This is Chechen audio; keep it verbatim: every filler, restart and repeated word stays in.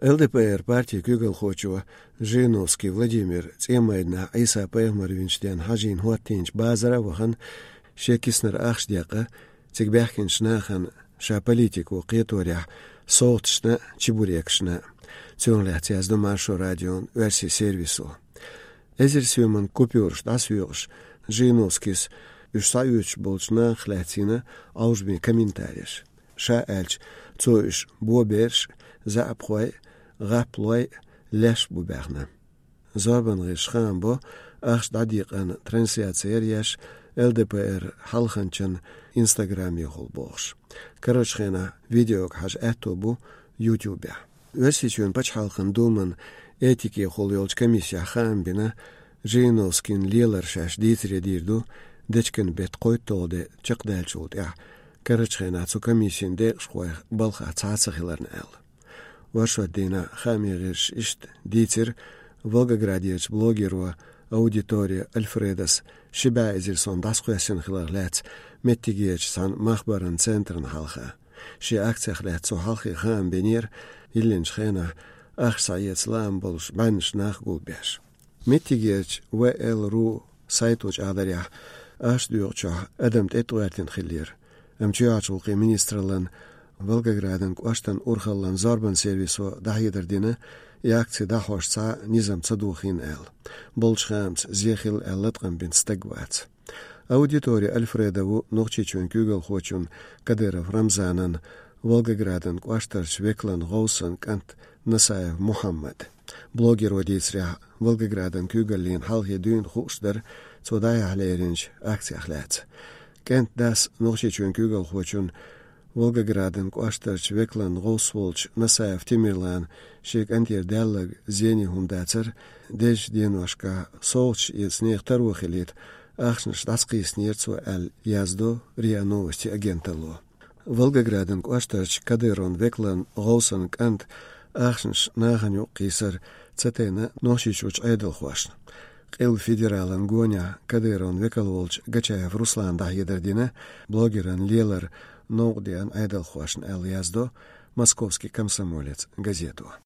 Л Д П Р партийн куьйгалхочо Жириновский Владимира ЦӀен майданахь Ӏийса-пайхамар винчу денна хьажийна хӀоттийначу базара а вахана, шен киснара ахча декъна, цига баьхкинчу нахана ша политико кхеторехь совгӀаташна а, чебурекашна а. Цунах лаьцна яздо Маршо радион оьрсийн сервисо. Эзар соьман купюраш дӀасоькъуш, Жириновскийс уьш схьаоьцуш болчу нахах лаьцна йина Ӏовжаме комментареш. Ша аьлча, цо уьш бобераш а, заьӀапхой а, гӀаплой а, леш а бу баьхна. Зорбан гӀирсаша хаам бо, ахча дӀадекъаран трансляци яра еш Л Д П Р хьалханчан инстаграмехула бохуш. Карарчу хенахь видеога хьажа аьтто бу ютубехь. Оьрсийчоьнан пачхьалкхан думан этикехула йолчу комиссехь хаам бина, Жириновскийн лелар шаьш дийцаре дийр ду, дечкен беттан кхойтталгӀа де чекхдаьллачул тӀаьхьа, карарчу хенахь цу комиссин декъашхойх балхахь цхьа а ца хиларна аьлла. Оршот дийнахь хааман гӀирсаша иштта дийцира Волгоградерчу блогеро Аудитория Альфредас ши бӀе эзар сом дӀасакхоьссина хиларх лаьцна меттигерчу цхьана махбаран центрна хьалха. Шен акцех лаьцна цо хьалхе хаам бинера, йиллинчу хенахь ахча схьаэца лаам болуш бӀеннаш нах гулбеш. Меттигерчу В Л ру сайто чӀагӀдарехь, ахча доькъучохь адам тӀетӀагӀертина хиллера. Амма чоьхьарчу гӀуллакхийн министраллан Волгоградан кӀоштан урхаллан зорбан сервисо дӀахьедар дина, и акци дӀахьош цхьа а низам ца дохийна аьлла. Болчу хаамца, зен хилла аьлла латкъам бинчу стаг вац. Аудитория Альфреда ву Нохчийчоьнан куьйгалхочун Кадыров Рамзанан, Волгоградан кӀоштарчу векалан гӀовсан кӀант Насаев Мухьаммад. Блогеро дийцарехь, Волгоградан куьйгаллина хьалхе дуьйна хууш дара цо дӀаяхьа леринчу акцех лаьцна. КӀентан дас Нохчийчоьнан куьйгалхочун, Волгоградан кӀоштарчу векалан гӀовс волчу Насаев Тимирлана шен кӀантера даьлларг зене хӀума дацара, дезачу деношкахь совгӀаташ эца нехан таро хилийта ахчанаш дӀасакхийсинера цо аьлла, яздо РИА Новости агенталло. Волгоградан кӀоштарчу Кадыровн векалан гӀовсан кӀанта ахчанаш нахана юкъа кхийсар ца тайна Нохчийчуьрчу Ӏедалхошна. Къилба федералан гонехь Кадыровн векал волчу Гачаев Руслана дӀахьедар дина блогеран лелар новкъа деана Ӏедалхошна аьлла, яздо «Московский комсомолец» газето.